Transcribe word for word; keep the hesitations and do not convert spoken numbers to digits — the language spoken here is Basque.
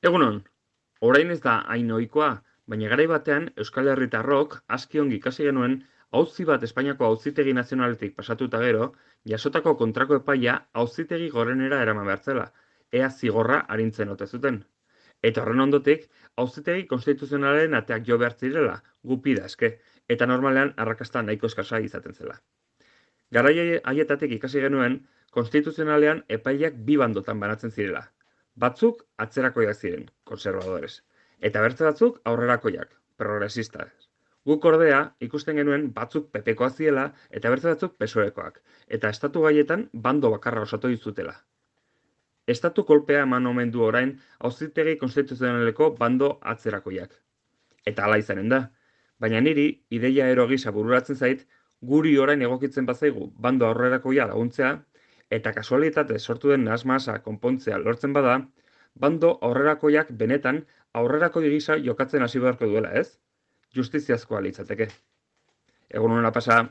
Egunon, orain ez da hain ohikoa, baina garai batean Euskal Herritarrok aski ongi ikasi genuen auzi bat Espainiako Auzitegi Nazionaletik pasatuta gero, jasotako kontrako epaia Auzitegi Gorenera eraman behar zela, ea zigorra arintzen ote zuten. Eta horren ondotik, Auzitegi Konstituzionalaren ateak jo behar zirela, gupida eske, eta normalean arrakasta nahiko eskasa izaten zela. Garai haietatik ikasi genuen, konstituzionalean epaileak bi bandotan banatzen zirela. Batzuk atzerakoiak ziren, konservadores, eta beste batzuk aurrerakoiak, progresistas. Guk ordea ikusten genuen batzuk pepekoak ziela eta beste batzuk pesoekoak, eta estatu gaietan bando bakarra osatu dizutela. Estatu kolpea eman omen du orain Auzitegi Konstituzionaleko bando atzerakoiak. Eta hala izanen da, baina niri ideia ero gisa bururatzen zait, guri orain egokitzen bazaigu bando aurrerakoia laguntzea, eta kasualitate sortu den nahasmahasa konpontzea lortzen bada, bando aurrerakoiak benetan aurrerakoi gisa jokatzen hasi beharko duela, ez? Justiziazkoa litzateke. Egun hona pasa.